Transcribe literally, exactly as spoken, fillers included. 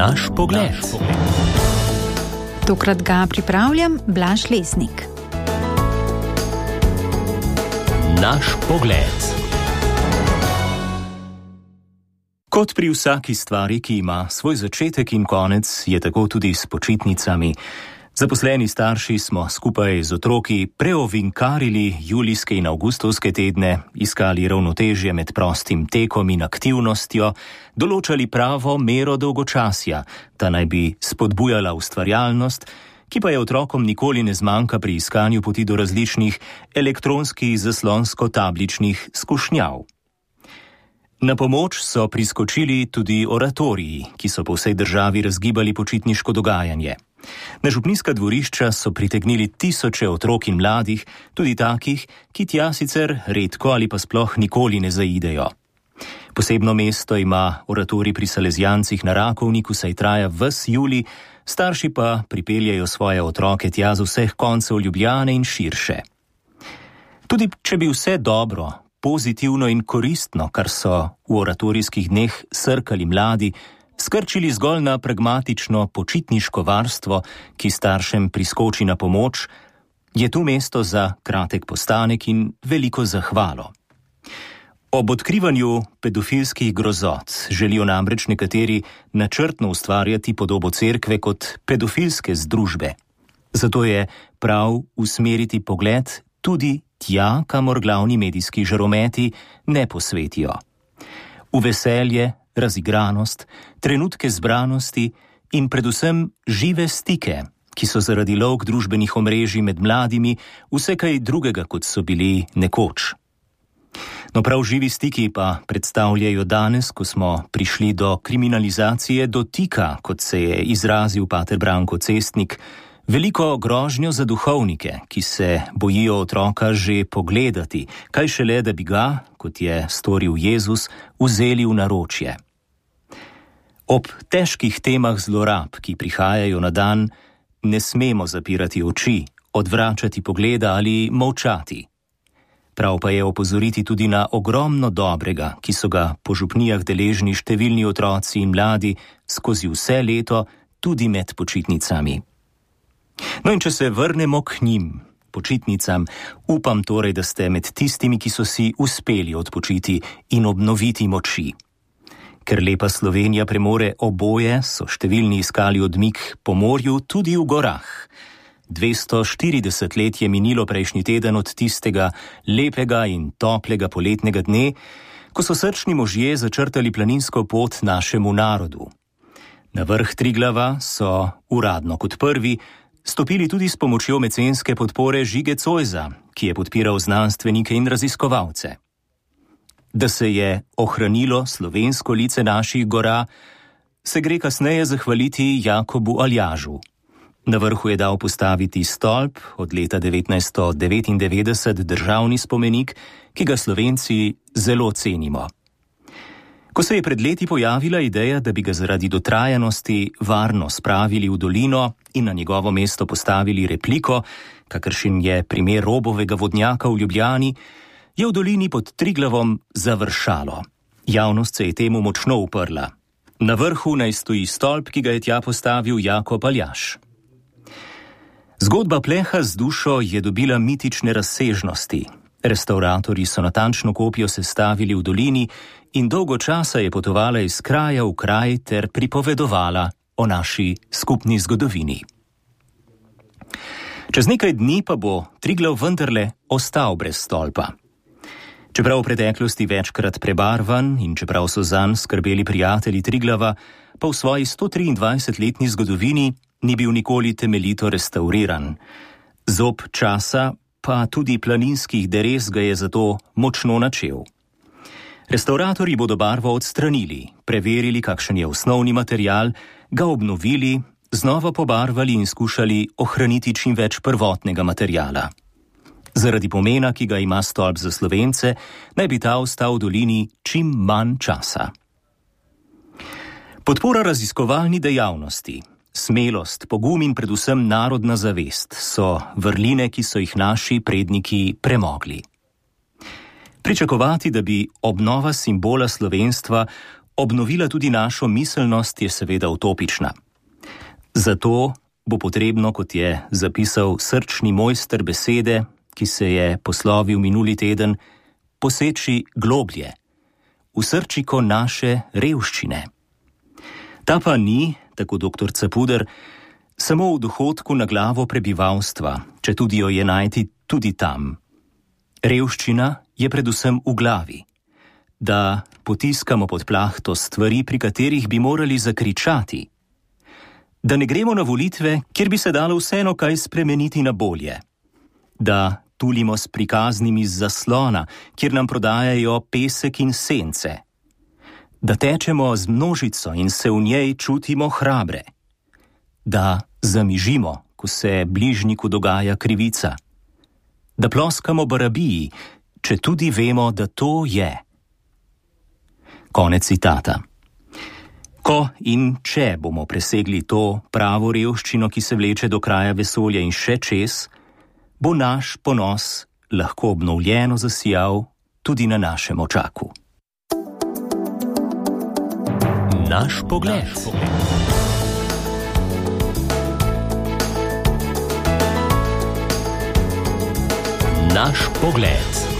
Naš pogled. Tokrat ga pripravljam Blaž Lesnik. Naš pogled. Kot pri vsaki stvari, ki ima svoj začetek in konec, je tako tudi s počitnicami. Zaposleni starši smo skupaj z otroki preovinkarili julijske in avgustovske tedne, iskali ravnotežje med prostim tekom in aktivnostjo, določali pravo mero dolgočasja, ta naj bi spodbujala ustvarjalnost, ki pa je otrokom nikoli ne zmanjka pri iskanju poti do različnih elektronskih zaslonsko-tabličnih skušnjav. Na pomoč so priskočili tudi oratoriji, ki so po vsej državi razgibali počitniško dogajanje. Na župnijska dvorišča so pritegnili tisoče otrok in mladih, tudi takih, ki tja sicer redko ali pa sploh nikoli ne zaidejo. Posebno mesto ima oratorij pri Salezijancih na Rakovniku, saj traja ves julij, starši pa pripeljejo svoje otroke tja z vseh koncev Ljubljane in širše. Tudi če bi vse dobro, pozitivno in koristno, kar so v oratorijskih dneh srkali mladi, skrčili zgolj na pragmatično počitniško varstvo, ki staršem priskoči na pomoč, je tu mesto za kratek postanek in veliko zahvalo. Ob odkrivanju pedofilskih grozot želijo namreč nekateri načrtno ustvarjati podobo cerkve kot pedofilske združbe. Zato je prav usmeriti pogled tudi tja, kamor glavni medijski žarometi ne posvetijo. V veselje, razigranost, trenutke zbranosti in predvsem žive stike, ki so zaradi lovk družbenih omrežij med mladimi vse kaj drugega, kot so bili nekoč. No, prav živi stiki pa predstavljajo danes, ko smo prišli do kriminalizacije dotika, kot se je izrazil pater Branko Cestnik, veliko grožnjo za duhovnike, ki se bojijo otroka že pogledati, kaj šele, da bi ga, kot je storil Jezus, vzeli v naročje. Ob težkih temah zlorab, ki prihajajo na dan, ne smemo zapirati oči, odvračati pogleda ali molčati. Prav pa je opozoriti tudi na ogromno dobrega, ki so ga po župnijah deležni številni otroci in mladi skozi vse leto, tudi med počitnicami. No in če se vrnemo k njim, počitnicam, upam torej, da ste med tistimi, ki so si uspeli odpočiti in obnoviti moči. Ker lepa Slovenija premore oboje, so številni iskali odmik po morju tudi v gorah. dvesto štirideset let je minilo prejšnji teden od tistega lepega in toplega poletnega dne, ko so srčni možje začrtali planinsko pot našemu narodu. Na vrh Triglava so, uradno kot prvi, stopili tudi s pomočjo mecenske podpore Žige Cojza, ki je podpiral znanstvenike in raziskovalce. Da se je ohranilo slovensko lice naših gora, se gre kasneje zahvaliti Jakobu Aljažu. Na vrhu je dal postaviti stolp, od leta devetnajststo devetindevetdeset državni spomenik, ki ga Slovenci zelo cenimo. Ko se je pred leti pojavila ideja, da bi ga zaradi dotrajanosti varno spravili v dolino in na njegovo mesto postavili repliko, kakršen je primer Robovega vodnjaka v Ljubljani, je v dolini pod Triglavom završalo. Javnost se je temu močno uprla. Na vrhu naj stoji stolp, ki ga je tja postavil Jakob Aljaž. Zgodba pleha z dušo je dobila mitične razsežnosti. Restavratorji so natančno kopijo sestavili v dolini in dolgo časa je potovala iz kraja v kraj ter pripovedovala o naši skupni zgodovini. Čez nekaj dni pa bo Triglav vendarle ostal brez stolpa. Čeprav v preteklosti večkrat prebarvan in čeprav so zanj skrbeli prijatelji Triglava, pa v svoji sto triindvajsetletni zgodovini ni bil nikoli temeljito restauriran. Zob časa pa tudi planinskih derez ga je zato močno načel. Restavratorji bodo barvo odstranili, preverili, kakšen je osnovni material, ga obnovili, znova pobarvali in skušali ohraniti čim več prvotnega materiala. Zaradi pomena, ki ga ima stolp za Slovence, naj bi ta ostal v dolini čim manj časa. Podpora raziskovalni dejavnosti, smelost, pogum in predvsem narodna zavest so vrline, ki so jih naši predniki premogli. Pričakovati, da bi obnova simbola slovenstva obnovila tudi našo miselnost, je seveda utopična. Zato bo potrebno, kot je zapisal srčni mojster besede, ki se je poslovil minuli teden, poseči globlje, v srčiko naše revščine. Ta pa ni, tako doktor Capuder, samo v dohodku na glavo prebivalstva, če tudi jo je najti tudi tam. Revščina je predvsem v glavi, da potiskamo pod plahto stvari, pri katerih bi morali zakričati, da ne gremo na volitve, kjer bi se dalo vseeno kaj spremeniti na bolje, da tulimo s prikaznimi z zaslona, kjer nam prodajajo pesek in sence, da tečemo z množico in se v njej čutimo hrabre, da zamižimo, ko se bližnjiku dogaja krivica, da ploskamo barabiji, če tudi vemo, da to je. Konec citata. Ko in če bomo presegli to pravo revščino, ki se vleče do kraja vesolja in še čez, bo naš ponos lahko obnovljeno zasijal tudi na našem očaku. Naš pogled. Naš pogled.